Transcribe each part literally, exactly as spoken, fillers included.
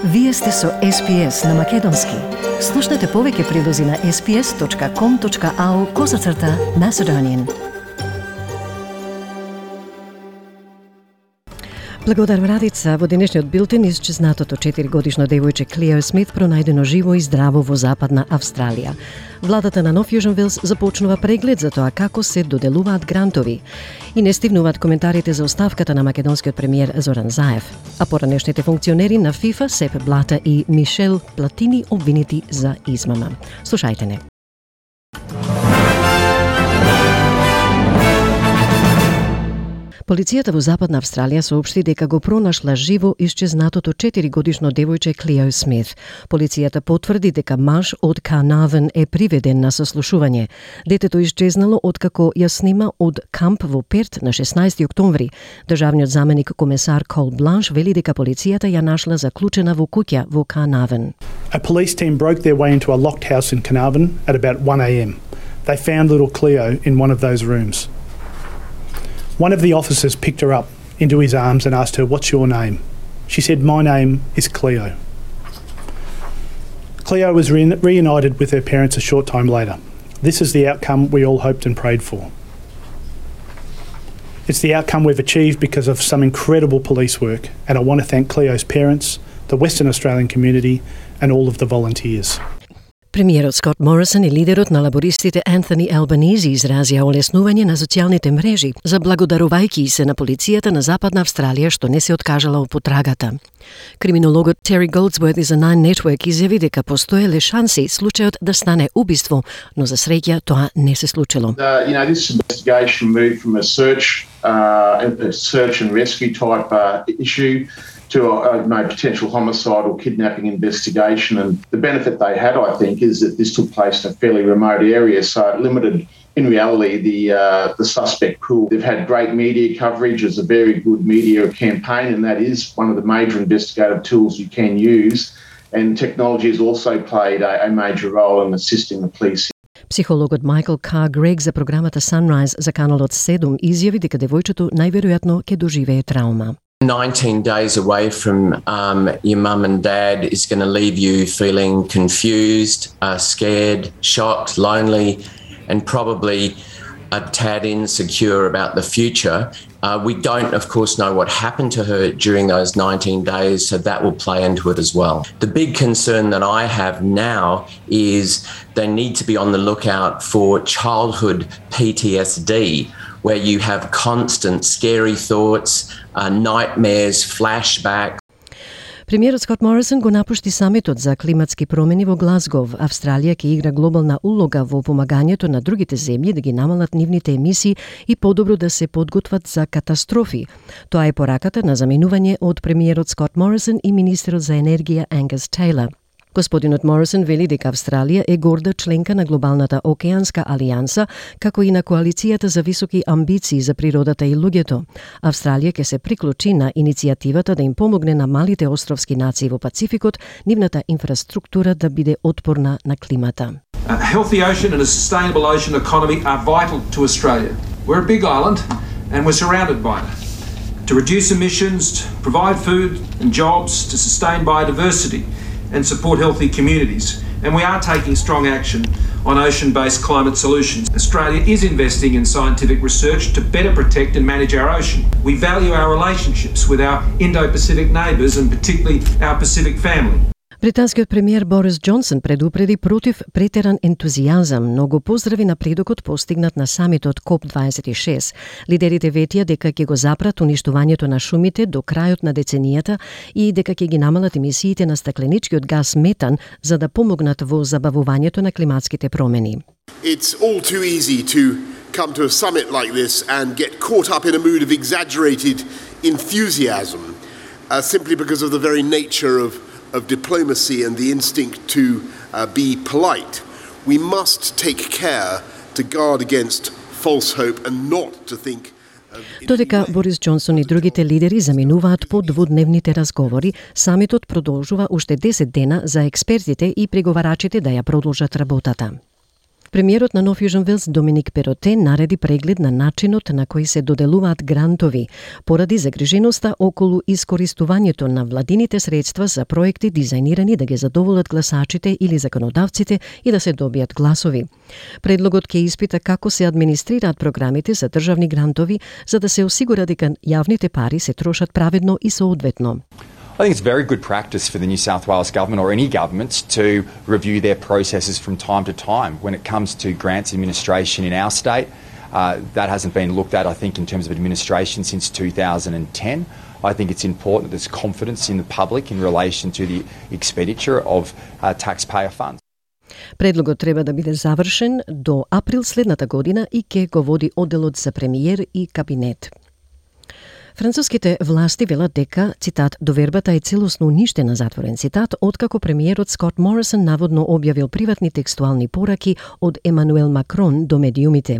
Вие сте со Ес Би Ес на Македонски. Слушнете повеќе прилози на ес би ес точка ком точка ау козацрта Macedonian. Благодарам Радица, во денешниот билтен исчезнатото четиригодишно девојче Клео Смит пронајдено живо и здраво во Западна Австралија. Владата на Нов Јужен Велс започнува преглед за тоа како се доделуваат грантови и не стигнуваат коментарите за оставката на македонскиот премиер Зоран Заев. А поранешните функционери на ФИФА Сеп Блата и Мишел Платини обвинети за измама. Слушајте не. Полицијата во Западна Австралија соопшти дека го пронашла живо исчезнатото четиригодишно девојче Клео Смит. Полицијата потврди дека маж од Carnarvon е приведен на сослушување. Детето исчезнало откако ја снима од камп во Перт на шеснаесети октомври. Државниот заменик комесар Кол Бланш вели дека полицијата ја нашла заклучена во куќа во Carnarvon. A police team broke their way into a locked house in Carnarvon at about one a m. They found little Cleo in one of those rooms. One of the officers picked her up into his arms and asked her, "What's your name?" She said, "My name is Cleo." Cleo was re- reunited with her parents a short time later. This is the outcome we all hoped and prayed for. It's the outcome we've achieved because of some incredible police work, and I want to thank Cleo's parents, the Western Australian community, and all of the volunteers. Премиерот Скот Морисон и лидерот на лабористите Ентони Албанизи изразија олеснување на социјалните мрежи, заблагодарувајќи се на полицијата на Западна Австралија што не се откажала од потрагата. Криминологот Тери Голдсворт за Nine Network изјави дека постоеле шанси случајот да стане убиство, но за среќа тоа не се случило. Uh, you know, this investigation moved from a search, uh, a search and rescue type uh, issue to a, a no, potential homicide or kidnapping investigation. And the benefit they had, I think, is that this took place in a fairly remote area, so it limited, in reality, the uh, the suspect pool. They've had great media coverage. It's a very good media campaign, and that is one of the major investigative tools you can use. And technology has also played a, a major role in assisting the police. Психологот Майкл К. Грег за програмата Sunrise за каналот седум изјави дека девојчето најверојатно ќе доживее траума. nineteen days away from um, your mum and dad is going to leave you feeling confused, uh, scared, shocked, lonely, and probably a tad insecure about the future. Uh, we don't, of course, know what happened to her during those nineteen days, so that will play into it as well. The big concern that I have now is they need to be on the lookout for childhood P T S D, where you have constant scary thoughts, uh, nightmares, flashbacks. Премиерот Скот Морисон го напушти самитот за климатски промени во Глазгов. Австралија ќе игра глобална улога во помагањето на другите земји да ги намалат нивните емисии и подобро да се подготват за катастрофи. Тоа е пораката на заминување од премиерот Скот Морисон и министерот за енергија Ангус Тейлор. Господинот Морисон вели дека Австралија е горда членка на глобалната океанска алијанса, како и на коалицијата за високи амбиции за природата и луѓето. Австралија ќе се приклучи на иницијативата да им помогне на малите островски нации во Пацификот, нивната инфраструктура да биде отпорна на климата. A healthy ocean and a sustainable ocean economy are vital to Australia. We're a big island and we're surrounded by it. To reduce emissions, provide food and jobs, to sustain biodiversity and support healthy communities. And we are taking strong action on ocean-based climate solutions. Australia is investing in scientific research to better protect and manage our ocean. We value our relationships with our Indo-Pacific neighbours and particularly our Pacific family. Британскиот премиер Борис Џонсон предупреди против претеран ентузијазам, но го поздрави напредокот постигнат на самитот коп дваесет и шест. Лидерите ветија дека ќе го запрат уништувањето на шумите до крајот на деценијата и дека ќе ги намалат емисиите на стакленичкиот газ метан за да помогнат во забавувањето на климатските промени. It's all too easy to come to a summit like this and get caught up in a mood of exaggerated enthusiasm uh, simply because of the very nature of of diplomacy and the instinct to uh, be polite. We must take care to guard against false hope and not to think. Додека Борис Џонсон и другите лидери заминуваат по двудневните разговори, самитот продолжува уште десет дена за експертите и преговарачите да ја продолжат работата. Премиерот на Нов Јужен Велс Доминик Перотте нареди преглед на начинот на кој се доделуваат грантови, поради загриженоста околу искористувањето на владините средства за проекти дизајнирани да ги задоволат гласачите или законодавците и да се добијат гласови. Предлогот ќе испита како се администрираат програмите за државни грантови за да се осигура дека јавните пари се трошат праведно и соодветно. I think it's very good practice for the New South Wales government or any government to review their processes from time to time. When it comes to grants administration in our state, uh, that hasn't been looked at, I think, in terms of administration since two thousand ten. I think it's important that there's confidence in the public in relation to the expenditure of uh, taxpayer funds. Предлогот треба да биде завршен до април следната година и ќе го води одделот за премиер и кабинет. Француските власти велат дека, цитат, довербата е целосно уништена, затворен цитат, откако премиерот Скот Морисон наводно објавил приватни текстуални пораки од Емануел Макрон до медиумите.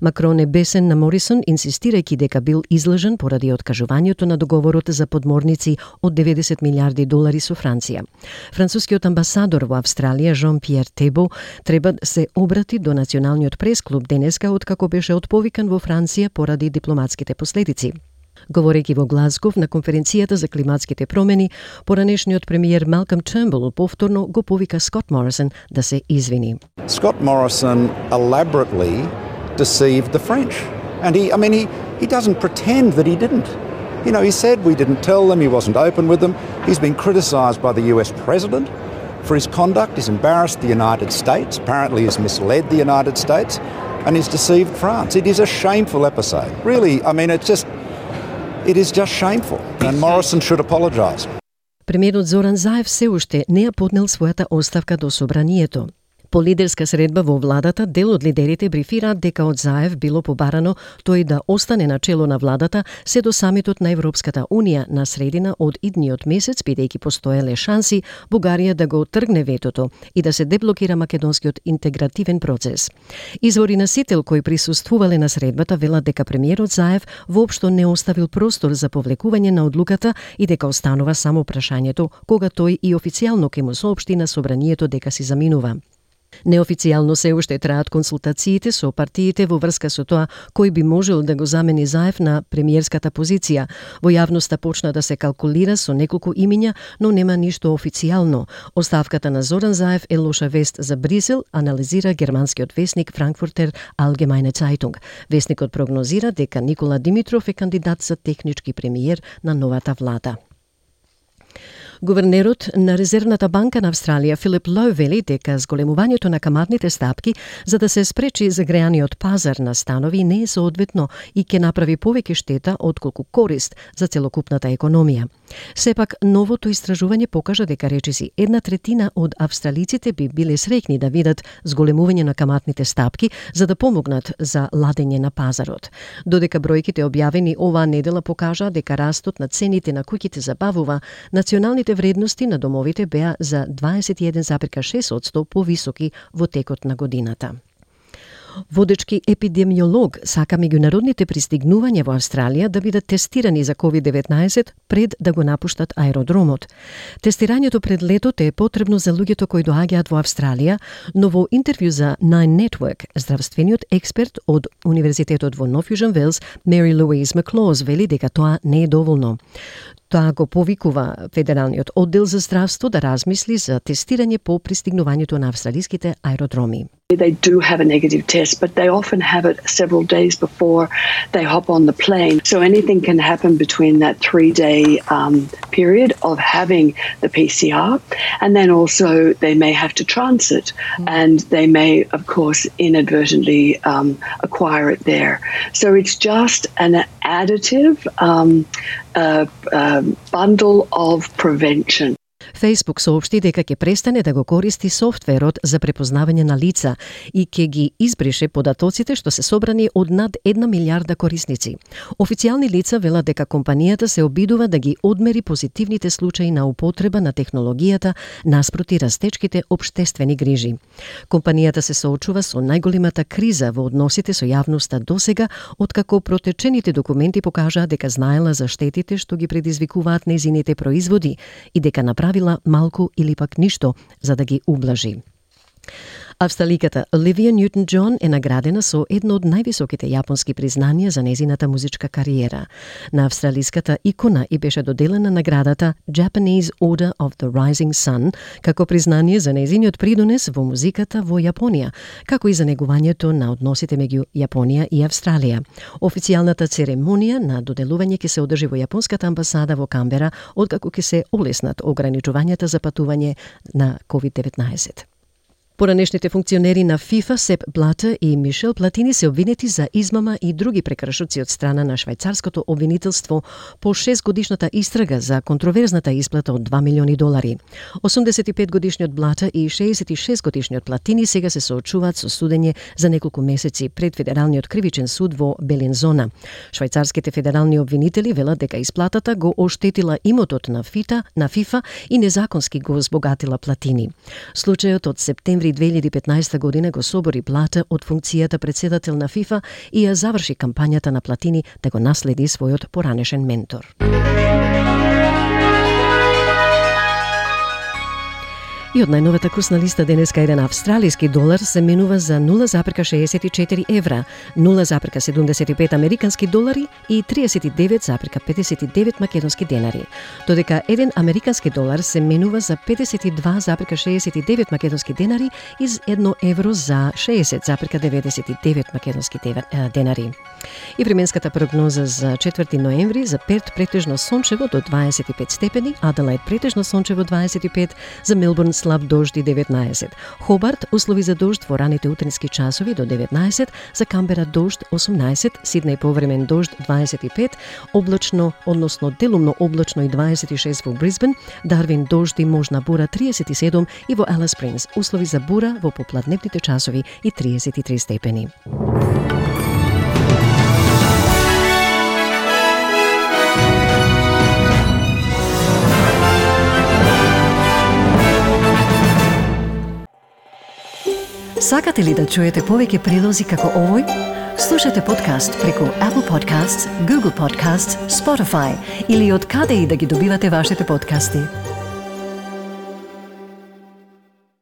Макрон е бесен на Морисон, инсистирајќи дека бил излажен поради откажувањето на договорот за подморници од деветдесет милиарди долари со Франција. Францускиот амбасадор во Австралија, Жан-Пиер Тебо, треба да се обрати до Националниот пресклуб денеска откако беше отповикан во Франција поради дипломатските последици. Говорејќи во Глазгов на конференцијата за климатските промени, поранешниот премиер Малком Тернбул повторно го повика Скот Морисон да се извини. Scott Morrison elaborately deceived the French. And he, I mean, he, he doesn't pretend that he didn't. You know, he said we didn't tell them, he wasn't open with them. He's been criticised by the U S president for his conduct. He's embarrassed the United States, apparently he's misled the United States, and he's deceived France. It is a shameful episode. Really, I mean, it's just... It is just shameful, and Morrison should apologise. Премиерот Зоран Заев се уште не ја поднел својата оставка до собранието. По лидерска средба во владата, дел од лидерите брифираат дека од Заев било побарано тој да остане на чело на владата се до самитот на Европската Унија на средина од идниот месец, бидејќи постоеле шанси Бугарија да го тргне ветото и да се деблокира македонскиот интегративен процес. Извори на Сител кои присуствувале на средбата велат дека премиерот Заев воопшто не оставил простор за повлекување на одлуката и дека останува само прашањето кога тој и официјално ќе му соопшти на собранието дека си заминува. Неофицијално се уште траат консултациите со партиите во врска со тоа кој би можел да го замени Заев на премиерската позиција. Во јавноста почна да се калкулира со неколку имиња, но нема ништо официјално. Оставката на Зоран Заев е лоша вест за Брисел, анализира германскиот весник Frankfurter Allgemeine Zeitung. Весникот прогнозира дека Никола Димитров е кандидат за технички премиер на новата влада. Гувернерот на Резервната банка на Австралија Филип Лоу вели дека зголемувањето на каматните стапки за да се спречи загреаниот пазар на станови не е соодветно и ќе направи повеќе штета отколку корист за целокупната економија. Сепак, новото истражување покажа дека речиси една третина од австралиците би биле среќни да видат зголемување на каматните стапки за да помогнат за ладење на пазарот. Додека бројките објавени оваа недела покажа дека растот на цените на куќите забавува, националните вредности на домовите беа за дваесет и еден зарез шест одсто повисоки во текот на годината. Водечки епидемиолог сака меѓународните пристигнувања во Австралија да бидат тестирани за ковид деветнаесет пред да го напуштат аеродромот. Тестирањето пред летот е потребно за луѓето кои доаѓаат во Австралија, но во интервју за Nine Network, здравствениот експерт од Универзитетот во Нов Јужен Велс, Мери Луиз Маклоз, вели дека тоа не е доволно. Тоа го повикува Федералниот оддел за здравство да размисли за тестирање по пристигнувањето на австралиските аеродроми. They do have a negative test, but they often have it several days before they hop on the plane. So anything can happen between that three-day um, period of having the P C R. And then also they may have to transit mm. and they may, of course, inadvertently um, acquire it there. So it's just an additive um, uh, uh, bundle of prevention. Facebook соопшти дека ќе престане да го користи софтверот за препознавање на лица и ќе ги избрише податоците што се собрани од над една милиарда корисници. Официјални лица велат дека компанијата се обидува да ги одмери позитивните случаи на употреба на технологијата наспроти растечките општествени грижи. Компанијата се соочува со најголемата криза во односите со јавноста досега, откако протечените документи покажаа дека знаела за штетите што ги предизвикуваат незините производи и дека направила малку или пак ништо за да ги ублажи. Австраликата Оливија Ньютон-Џон е наградена со едно од највисоките јапонски признанија за незината музичка кариера. На австралиската икона и беше доделена наградата Japanese Order of the Rising Sun како признание за незиниот придонес во музиката во Јапонија, како и за негувањето на односите меѓу Јапонија и Австралија. Официјалната церемонија на доделување ќе се одржи во Јапонската амбасада во Камбера, откако ќе се олеснат ограничувањата за патување на ковид деветнаесет. Поранешните функционери на ФИФА Сеп Блатер и Мишел Платини се обвинети за измама и други прекршоци од страна на швајцарското обвинителство по шестгодишната истрага за контроверзната исплата од два милиони долари. осумдесет и пет годишниот Блатер и шеесет и шест годишниот Платини сега се соочуваат со судење за неколку месеци пред Федералниот кривичен суд во Белинзона. Швајцарските федерални обвинители велат дека исплатата го оштетила имотот на ФИФА, на ФИФА и незаконски го збогатила Платини. Случајот од септември две илјади и петнаесета година го собори Блатер од функцијата председател на ФИФА и ја заврши кампањата на Платини да го наследи својот поранешен ментор. И од најновата курсна листа денеска еден австралиски долар се менува за нула запирка шеесет и четири евра, нула запирка седумдесет и пет американски долари и триесет и девет запирка педесет и девет македонски денари. Додека еден американски долар се менува за педесет и два запирка шеесет и девет македонски денари и едно евро за шеесет запирка деветдесет и девет македонски денари. И временската прогноза за четврти ноември за Перт претежно сончево до дваесет и пет степени, Аделаид претежно сончево дваесет и пет, за Мелбурн слаб дожд и деветнаесет. Хобарт услови за дожд во раните утрински часови до деветнаесет, за Камбера дожд осумнаесет, Сиднеј повремен дожд дваесет и пет, облачно, односно делумно облачно и дваесет и шест во Брисбен, Дарвин дожд и можна бура триесет и седум и во Алис Спрингс услови за бура во попладневните часови и триесет и три степени. Сакате ли да чуете повеќе прилози како овој? Слушате подкаст преку Apple Podcasts, Google Podcasts, Spotify или од каде и да ги добивате вашите подкасти.